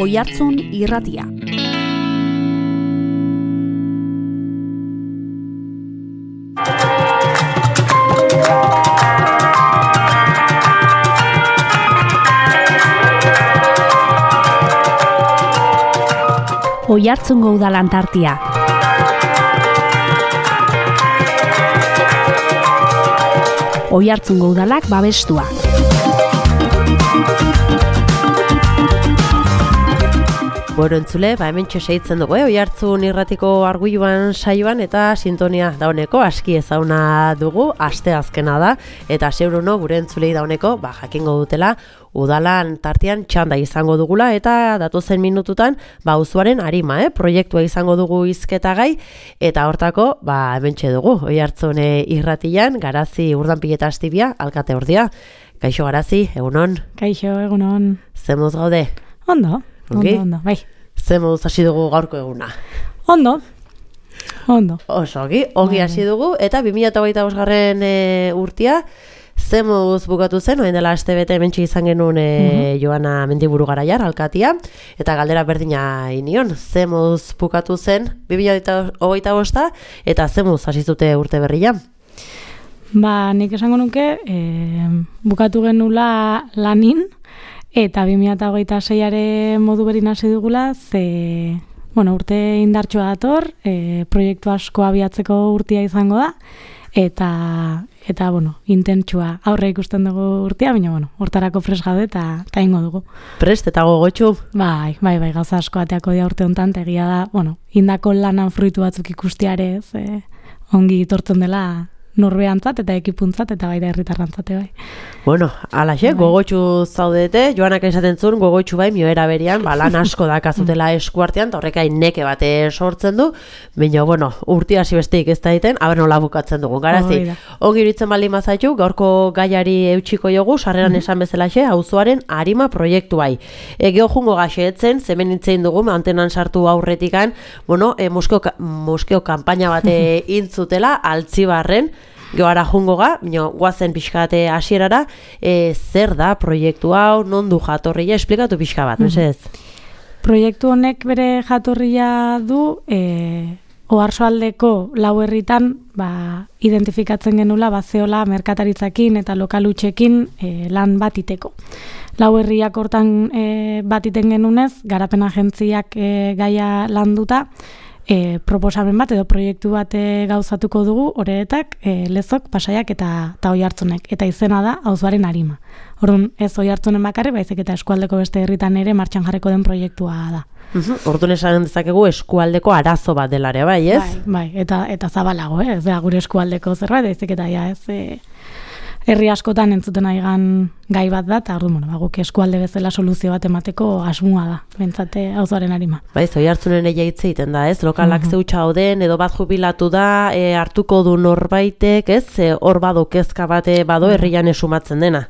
Oihartzun irratia. Oihartzungo udalan tartia. Oihartzungo udalak babestua. Bueno, entzule, hemen txoseitzen dugu, Oihartzun irratiko arguiluan saioan eta sintonia dauneko aski ezauna dugu, asteazkena da, eta seuruno gure entzulei dauneko, jakingo dutela, udalan tartean txanda izango dugula, eta datozen minututan, auzoaren arima, proiektua izango dugu hizketagai, eta hortako, hemen dugu, Oihartzun irratian, Garazi Urdanpil eta Astibia, alkate ordia. Kaixo Garazi, egunon? Kaixo, egunon. Zemuz gaude? Ondo, bai. Zemuz hasi dugu gaurko eguna? Ondo. Oso, ongi hasi dugu, eta 2025 urtia, zemuz bukatu zen, oen dela astebete hementxe izan genuen Joana Mendiburu Garaiar, alkatia, eta galdera berdina inion, zemuz bukatu zen 2025 eta zemuz hasi zute urte berria? Nik esango nuke, bukatu genula lanin, eta 2026 modu berin hasi dugula, urte indartsua dator, proiektu asko abiatzeko urtia izango da, eta intentsua aurre ikusten dugu urtia, baina hortarako pres gaude eta ingo dugu. Prest eta gogotxu? Bai, gauza asko ateako dia urte hontan, egia da, indako lanan fruitu batzuk ikustiarez, ongi tortzen dela norbeantzat eta ekipuntzat eta baita herritarrantzate bai. Alaxe, gogotxu zaudete, Joanak esaten zuen gogotxu bai, mioera berian, lan asko dakazutela eskuartean, eta horrekai neke bate sortzen du, baina, urti hasi besteik ez da egiten, nola bukatzen dugu. Garazi, ongi iritzen baldin mazaitu, gaurko gaiari eutxiko jogu, sarreran esan bezalaxe, auzoaren arima proiektu bai. Geo jungo gaxeetzen, zemen itzein dugu, antenan sartu aurretikan, moskeo kanpaina bate intzutela, Altzibarren, Geoara jungo guazen pixkate hasierara, zer da proiektu hau, non du jatorria, esplikatu pixka bat, mesez? Proiektu honek bere jatorria du, Oarsoaldeko lau herritan identifikatzen genula bazeola merkataritzakin eta lokalutxekin lan bat iteko. Lau herriak hortan bat iten genunez, garapen agentziak gaia landuta, proposamen bat edo proiektu bat gauzatuko dugu Oreetak, Lezok, Pasaiak eta Oihartzunek, eta izena da auzoaren arima. Orduan ez Oihartzunen bakarrik, baizik eta eskualdeko beste herritan ere martxan jarriko den proiektua da. Orduan esan dezakegu eskualdeko arazo bat delare, bai, ez? Bai, eta zabalago, ez da gure eskualdeko zerbait, baizik eta ez herri askotan entzuten aigan gai bat da, eta guk eskualde bezala soluzio bat emateko asmoa da, bentsate auzoaren arima. Oihartzunen hitz egiten da, ez? Lokalak zeutxa oden, edo bat jubilatu da, hartuko du norbaitek, ez? Hor bado kezka bate bado herrian esumatzen dena.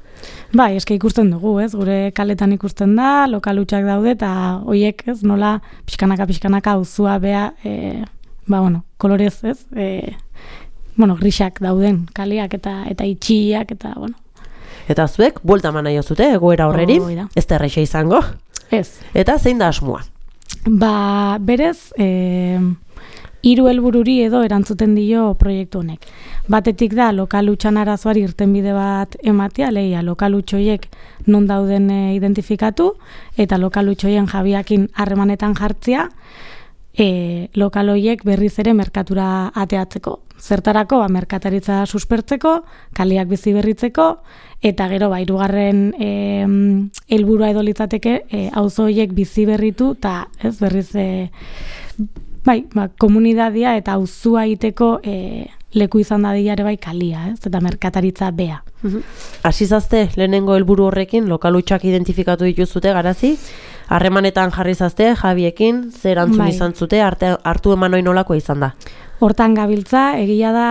Bai, eske ikusten dugu, ez? Gure kaletan ikusten da, lokalutxak daude, eta hoiek, ez? Nola pixkanaka auzua bea, kolorez, ez? Grisak dauden kaleak eta itxiak eta, Eta zuek, buelta eman nahi zute, egoera horreri, ez da erreixa izango? Ez. Eta zein da asmoa? Berez, 3 helbururi edo erantzuten dio proiektu honek. Batetik da, lokalutxan arazoari irtenbide bat ematea, lehia lokalutxoiek non dauden identifikatu, eta lokalutxoien jabiakin harremanetan jartzea, lokaloiek berriz ere merkatura ateatzeko. Zertarako, merkataritza suspertzeko, kaleak bizi berritzeko, eta gero, hirugarren helburua edo litzateke, auzoiek bizi berritu, eta ez berriz, komunidadia eta auzua iteko leku izan dadila ere kalia, ez? Eta merkataritza bea. Hasizazte, lehenengo helburu horrekin, lokalutxak identifikatu dituzute, Garazi? Harremanetan jarri zazte, Javiekin, zer antzun izan zute, hartu eman hori nolakoa izan da? Hortan gabiltza, egia da,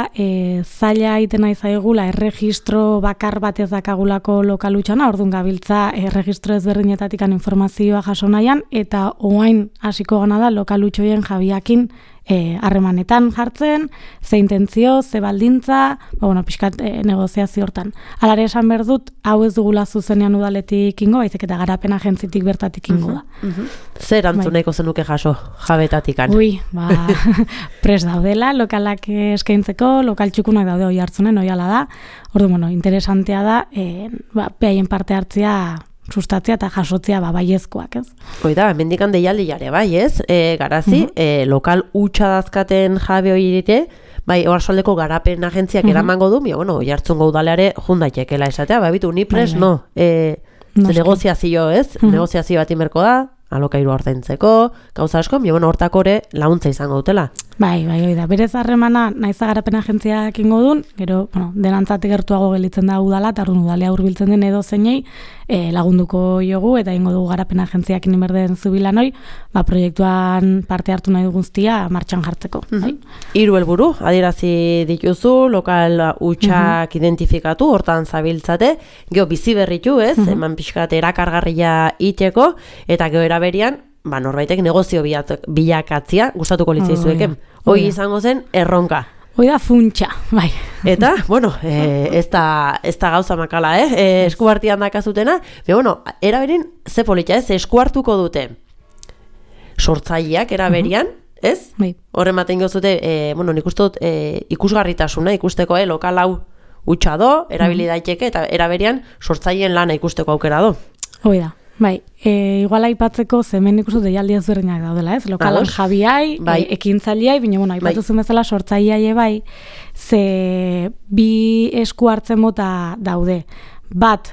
zaila egiten nahi zaigula erregistro bakar bat ez dakagulako lokalutxana, orduan gabiltza erregistro ezberdinetatik informazioa jaso nahian, eta oain hasiko gana da lokalutxoien jabiakin harremanetan jartzen, ze intentzio, ze baldintza, pixkat negoziazio hortan. Alare esan behar dut, hau ez dugula zuzenean udaletik ingo, baizik eta garapen agentzitik bertatik ingo da. Zer antzuneko zenuke jaso jabetatikan? Prest daudela, lokalak eskaintzeko, lokal txukunak daude hoi hartzunen, hoi ala da. Interesantea da, behaien parte hartzia sustatzea eta jasotzea baiezkoak, ez? Oida, hemendikan deialdi jare, bai, ez? Garazi, lokal hutsa dazkaten jabe hori irite, bai, oarsoaldeko garapen agentziak eramango du, jartzungo udaleare jundaitekela esatea, bitu, ni pres, negoziazio, ez? Negoziazio bat inberko da, alokairu ordaintzeko, gauza asko, hortakore launtza izango dutela. Bai, da. Berez harremana naiza garapen agentziak ingo dun, gero, denantzatik gertuago gelitzen da udala, eta udalea hurbiltzen den edo zeinei lagunduko jogu, eta ingo dugu garapen agentziak inimerden zubilanoi, proiektuan parte hartu nahi guztia martxan jartzeko. Hiru helburu, adierazi dituzu, lokal hutsak identifikatu, hortan zabiltzate, geho bizi berritu, ez? Eman pixkat erakargarria iteko, eta geho eraberian, norbaitek negozio bilakatzia gustatuko litzaizueke. Hoi izango zen erronka. Hoi da funtsa, bai. Eta, ez da gauza makala, eskuartian dakazutena, eraberin ze polita, esku hartuko dute sortzaileak eraberian, ez? Horren maten gozute, nik uste dut ikusgarritasuna, ikusteko, lokal hau hutsa do, erabili daiteke, eta eraberian sortzaileen lana ikusteko aukera do. Hoi da. Bai, igual aipatzeko zemen ikustu deialdi ezberdinak daudela, ez? Lokalan jabiai, ekintzaileai, baina, aipatuzun bezala sortzaileai bai, ze bi esku hartzen mota daude. Bat,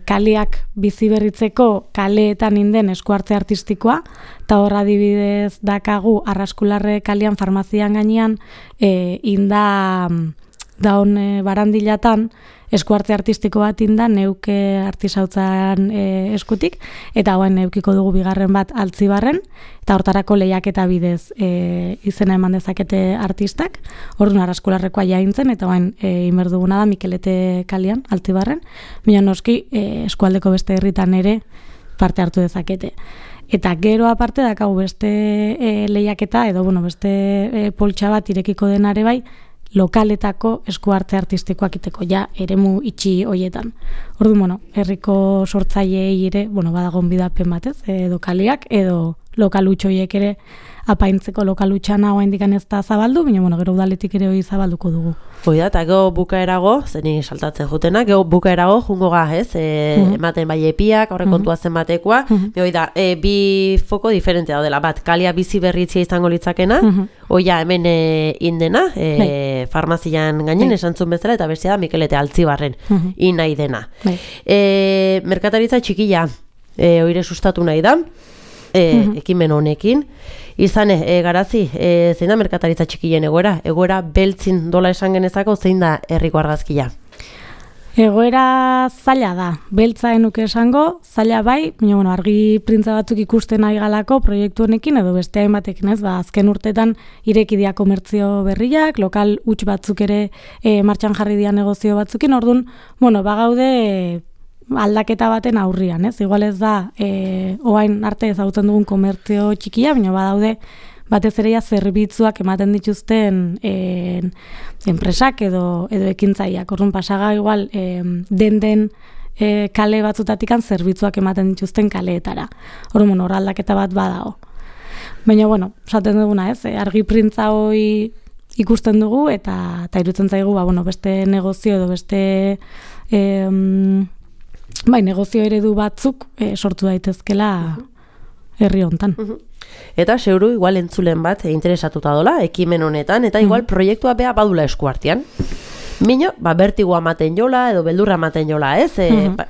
kaleak bizi berritzeko kaleetan inden esku hartze artistikoa, eta horra adibidez dakagu Arraskularre kalean farmazian gainean, inda daun barandilatan, eskuarte artistiko bat inda, neuke artisautzan eskutik, eta hauen neukiko dugu bigarren bat Altzibarren, eta hortarako lehiaketa bidez izena eman dezakete artistak, orduan Arraskularrekoa jaintzen, eta hauen inberduguna da Mikelete kalian, Altzibarren, baina noski eskualdeko beste herritan ere parte hartu dezakete. Eta gero aparte dakagu beste lehiaketa, edo beste poltsa bat irekiko denare bai, lokaletako eskuarte artistikoak iteko, eremu itxi hoietan. Orduan, herriko sortzaileei ere, badagon bidapen batez, edo kaleak, edo lokal hutsoiek ere apaintzeko lokal hutxana hoa indikan ez da zabaldu, baina gero udaletik ere hori zabalduko dugu. Hoi da, eta gero bukaerago, zeni saltatzen jutena, gero bukaerago jungo ga, ez? Ematen bai epiak, horre kontua zenbatekoa, hoi da, bi foko diferente daudela, bat, kalia bizi berritzia izango litzakena, hoia hemen indena, farmazian gainen, esantzun bezala, eta bestia da Mikelete Altzibarren, inai dena. Merkataritza txikila, oire sustatu nahi da, ekimen honekin. Izan, Garazi, zein da merkataritza txikien egoera? Egoera beltzin dola esan genezako, zein da herriko argazkia? Egoera zaila da, beltza enuke esango, zaila bai, baina argi printza batzuk ikusten nahi galako proiektu honekin, edo beste hainbatekin ez, azken urtetan irekidia komertzio berriak, lokal huts batzuk ere martxan jarri dira negozio batzukin, orduan, bagaude aldaketa baten aurrian, ez? Igual ez da, oain arte ezagutzen dugun komertzio txikia, baina badaude batez ere zerbitzuak ematen dituzten enpresak edo ekintzaileak. Orduan pasaga igual den kale batzutatikan zerbitzuak ematen dituzten kaleetara. Orduan hor aldaketa bat badago. Baina esaten duguna, ez? Argi printza hori ikusten dugu eta irutzen zaigu beste negozio edo beste negozio eredu batzuk sortu daitezkela herri hontan. Eta zeuru igual entzulen bat interesatuta dola ekimen honetan, eta igual proiektua bea badula eskuartean. Mino, bertigoa ematen jola edo beldurra ematen jola, ez?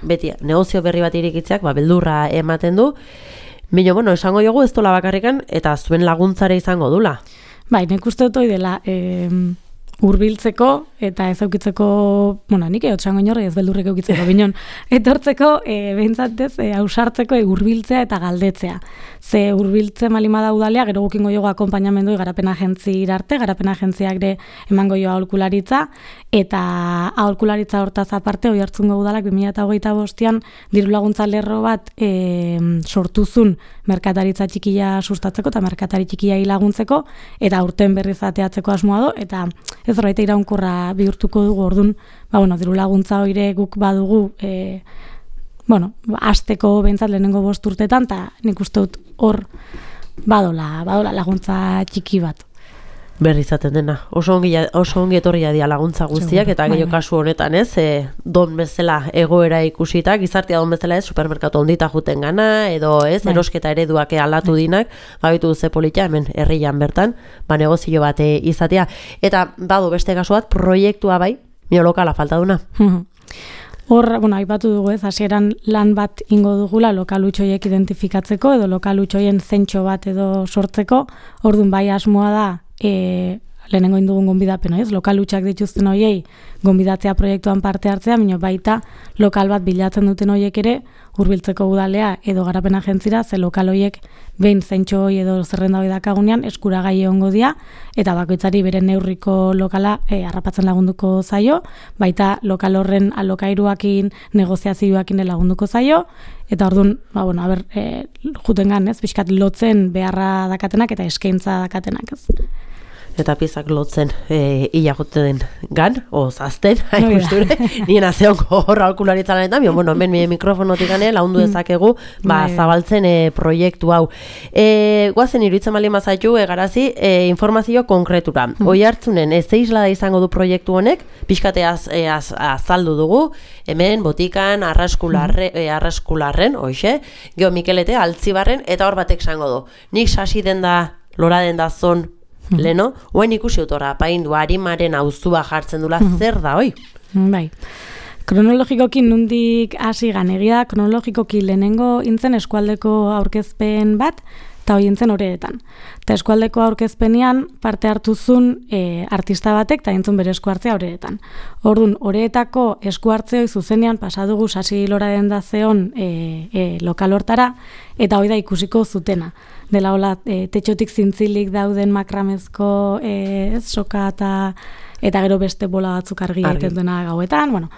Beti, negozio berri bat irikitzeak beldurra ematen du. Mino, esango jogu ez dola bakarrikan eta zuen laguntzare izango dula. Nik uste dut hori dela, hurbiltzeko eta ez eukitzeko, bueno, nik eotxango inorri ez beldurrik eukitzeko, binon, etortzeko, behintzatez, hausartzeko hurbiltzea eta galdetzea. Ze hurbiltze malimada udalea, gero gukingo jogo akompainamendu garapen agentzi arte, garapen agentziak ere emango joa aholkularitza, eta aholkularitza hortaz aparte, oi hartzungo udalak 2025an diru laguntza lerro bat sortuzun merkataritza txikia sustatzeko eta merkatari txikia laguntzeko, eta aurten berriz ateatzeko asmoa do, eta ez horreita iraunkorra bihurtuko dugu orduan, diru laguntza hoire guk badugu, hasteko behintzat lehenengo 5 urtetan, eta nik uste dut hor badola laguntza txiki bat. Berri izaten dena. Oso ongi etorria dira laguntza guztiak, eta gehiago kasu honetan ez, don bezala egoera ikusita, gizartea don bezala ez, supermerkatu ondita juten gana, edo ez, erosketa ereduak aldatu dinak, gabitu ze politia, hemen herrian bertan, negozio bat izatea. Eta badu beste kasu bat, proiektua bai, mio lokala falta duna. Hor, aipatu dugu ez, hasieran lan bat ingo dugula lokalutxoiek identifikatzeko, edo lokalutxoien zentxo bat edo sortzeko, orduan bai asmoa da, lehenengo indugun gonbidapen, ez? Lokalutxak dituzten hoiei gonbidatzea proiektuan parte hartzea, baina baita lokal bat bilatzen duten hoiek ere hurbiltzeko udalea edo garapen agentzira, ze lokal hoiek behin zentxo hoi edo zerrenda hoi dakagunean eskuragai egongo dira, eta bakoitzari bere neurriko lokala harrapatzen lagunduko zaio, baita lokal horren alokairuakin, negoziazioakin lagunduko zaio, eta orduan, jutengan, ez, pixkat lotzen beharra dakatenak eta eskaintza dakatenak, ez. Eta piezak lotzen ila jote den gan, zazten, hain nien azeonko horra aholkularitza lanetan, hemen mikrofonotik gane, laundu dezakegu, zabaltzen proiektu hau. Guazen iruditzen bali mazaitu, garazi, informazio konkretura. Hoi hartzunen, zeisla da izango du proiektu honek, pixkate azaldu dugu, hemen botikan, arraskularren, hoxe, geho Mikelete, Altzibarren, eta hor batek zango du. Nik sasi den da, lora den da zon, leno, oain ikusi autora, paindu, harimaren auzua jartzen dula, zer da, oi? Bai. Kronologikoki nundik hasi ganegia, kronologikoki lehenengo intzen eskualdeko aurkezpen bat, eta hoi intzen horeetan. Eta eskualdeko aurkezpenean parte hartuzun artista batek, eta intzun bere eskuartzea horeetan. Orduan, horeetako eskuartzeoi zuzenean pasadugu sasi lora den da zeon lokal hortara, eta hoi da ikusiko zutena. Dela hola, tetxotik zintzilik dauden makramezko soka eta gero beste bola batzuk argi egiten duena gauetan.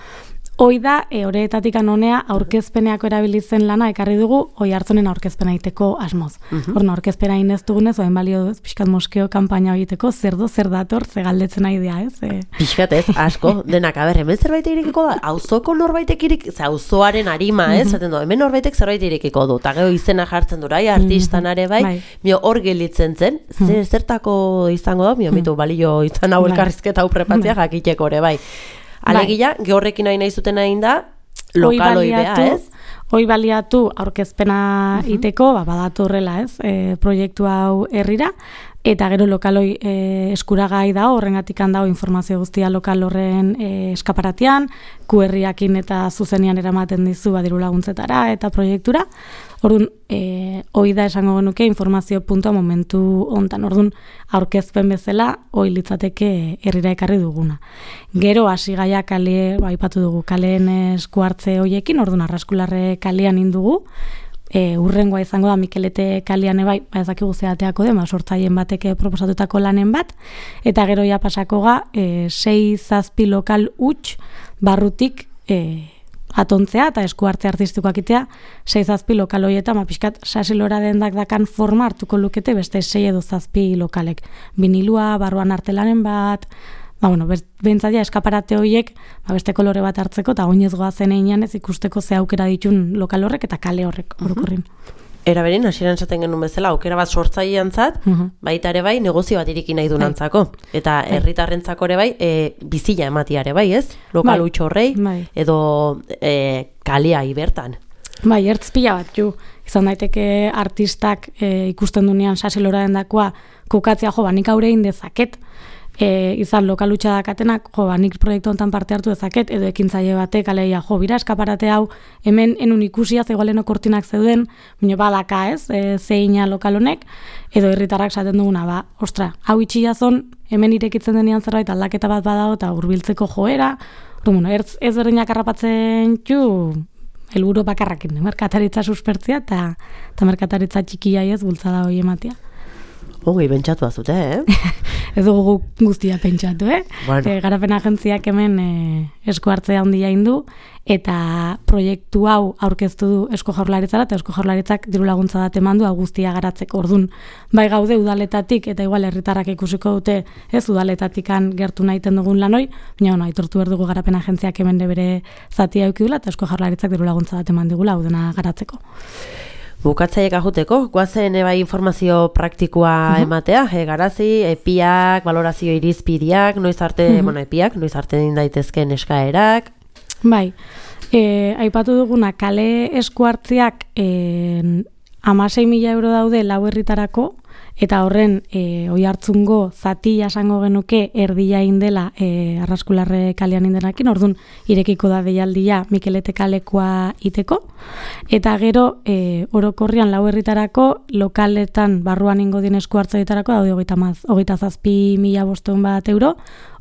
Hoi da, horeetatik anonea aurkezpeneako erabilizen lana ekarri dugu, hoi hartzonen aurkezpena egiteko asmoz. Horna, aurkezpena inez dugunez, oen balio pixkat moskeo kanpaina egiteko, zer dator, ze galdetzen nahi dira, ez? Pixkat ez, asko, denak, hemen zerbait irikiko da, auzoko norbaitek auzoaren arima, ez? Hemen norbaitek zerbait irikiko du, eta gero izena jartzen dura, artistan are bai, hor gelitzen zen, zertako izango da, mitu balio izan hau elkarrizketa hau prepatzea jakiteko ere bai. Alegia, gehorrekin nahi zuten hain da, lokaloi beha, ez? Hoi baliatu aurkezpena iteko, badatu horrela, ez? Proiektu hau herrira, eta gero lokaloi eskuragai da, horrengatik handao informazio guztia lokal horren eskaparatian, QR-iakin eta zuzenian eramaten dizu diru laguntzetara eta proiektura. Orduan, hoi da esango genuke informazio puntua momentu hontan. Orduan, aurkezpen bezala, hoi litzateke herrira ekarri duguna. Gero, hasi gaia kale, aipatu dugu, kaleen eskuartze hoiekin, orduan, Arraskularre kalean indugu, urrengoa izango da Mikelete kalean ebai, ezakigu zeateako den, sortzaien bateke proposatutako lanen bat, eta gero ja pasako ga, 6-7 lokal huts barrutik atontzea eta eskuartze artistikoak itea 6-7 lokal hoietan, pixkat sasilora dendak dakan forma hartuko lukete beste 6 edo 7 lokalek. Vinilua, barruan artelanen bat, bentzatia eskaparate horiek beste kolore bat hartzeko eta goinez goazen einean ez ikusteko ze aukera ditun lokal horrek eta kale horrek orokorrin. Era berin, hasieran esaten genuen bezala, aukera bat sortzaileantzat, baita ere bai, negozio bat iriki nahi dunantzako. Eta herritarrentzako ere bai, bizila ematia ere bai, ez? Lokal huts horrei, edo kalea ibertan. Bai, ertz pila bat, izan daiteke artistak ikusten dunean sasilora dendakoa kokatzea nik aure egin dezaket. izan lokalutxa dakatenak, nik proiektu honetan parte hartu dezaket, edo ekintzaile batek, aleia, bira, eskaparate hau, hemen enun ikusia, zegoaleno kortinak zeuden, baina badaka ez, zeina lokal honek, edo herritarrak esaten duguna, ostra, hau itxiazon, hemen irekitzen denean zerbait aldaketa bat badago, eta hurbiltzeko joera, ez berdinak harrapatzen helburu bakarrakin, merkataritza suspertzia, eta merkataritza txikia ez bultzada hori ematia. Ongi, pentsatu azute, Ez dugu guztia pentsatu, Bueno. Garapen agentziak hemen esku hartzea handia indu, eta proiektu hau aurkeztu du Eusko Jaurlaritzara, eta Eusko Jaurlaritzak diru laguntza bat eman du hau guztia garatzeko. Orduan, bai gaude udaletatik, eta igual herritarrak ikusiko dute, ez udaletatikan gertu nahiten dugun lanoi, baina aitortu behar dugu garapen agentziak hemen bere zatia eukidula, eta Eusko Jaurlaritzak diru laguntza bat eman digula hau dena garatzeko. Bukatzaiek ajuteko, guazen bai informazio praktikoa ematea, garazi, epiak, valorazio irizpideak, noiz arte, epiak, noiz arte din daitezkeen eskaerak. Bai, aipatu duguna, kale esku hartziak 16.000 euro daude lau herritarako, eta horren Oiartzungo zati jasango genuke erdia indela Arraskularre kalean indenakin, orduan irekiko da deialdia Mikelete kalekoa iteko, eta gero orokorrian lau herritarako lokaletan barruan ingo dien esku hartzaitarako daude 27.500 bat euro,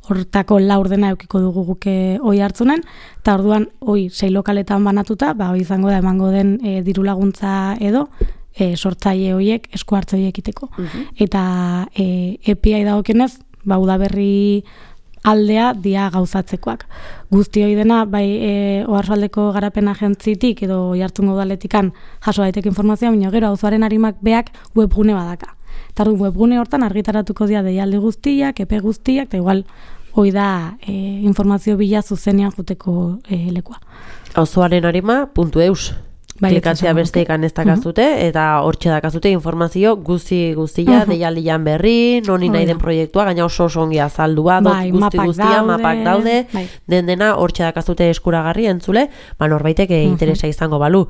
hortako laurdena eukiko dugu guke Oiartzunen, eta orduan 6 lokaletan banatuta, izango da emango den diru laguntza edo, sortzaile horiek, esku hartze horiek iteko. Eta epiai dagokienez, udaberri aldea dia gauzatzekoak. Guzti hori dena, Oarsoaldeko garapen agentzitik edo Oiartzungo udaletikan jaso daiteke informazioa, baina gero auzoaren arimak beak webgune badaka. Eta webgune hortan argitaratuko dira deialdi guztiak, epe guztiak, eta igual hori da informazio bila zuzenean juteko lekua. Auzoarenarima.eus klikatzea besteekan ez dakazute, eta hortxe dakazute informazio guztia, deialdian berri, noni nahi den proiektua, gaina oso ongi azaldua, guztia, mapak daude, dena hortxe dakazute eskuragarri entzule, norbaitek interesa izango balu.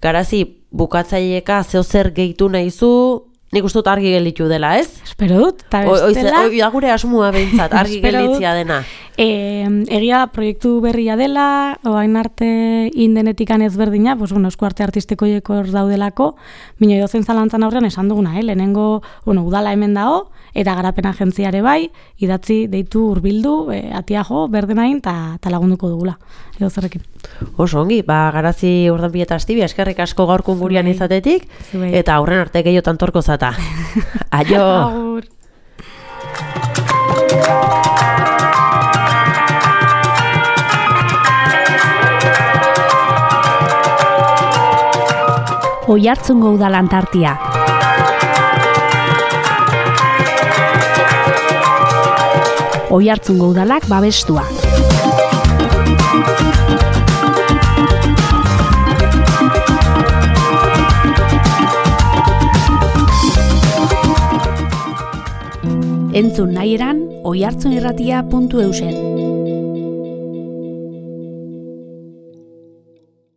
Garazi, bukatzaileeka zeo zer gehitu nahizu, nik uste dut argi gelditu dela, ez? Espero dut, eta bestela... Gure asmua behintzat, argi gelditzia dena. Egia proiektu berria dela, oain arte indenetikan ezberdina, esku arte artistikoieko hor daudelako, bino edozen zalantzan aurrean esan duguna, lehenengo udala hemen dago, eta garapen agentziare bai, idatzi deitu hurbildu, atia jo, berdenain, eta lagunduko dugula, edo zerrekin. Oso ongi, Garazi Urdanpide eta Astibia, eskerrik asko gaurkun gurean izatetik, eta aurren arte gehiotan torko zata. Aio! Agur! Oiartzungo udalan tartia. Oiartzungo udalak babestua. Entzun nahi eran oiartzunirratia.eusen.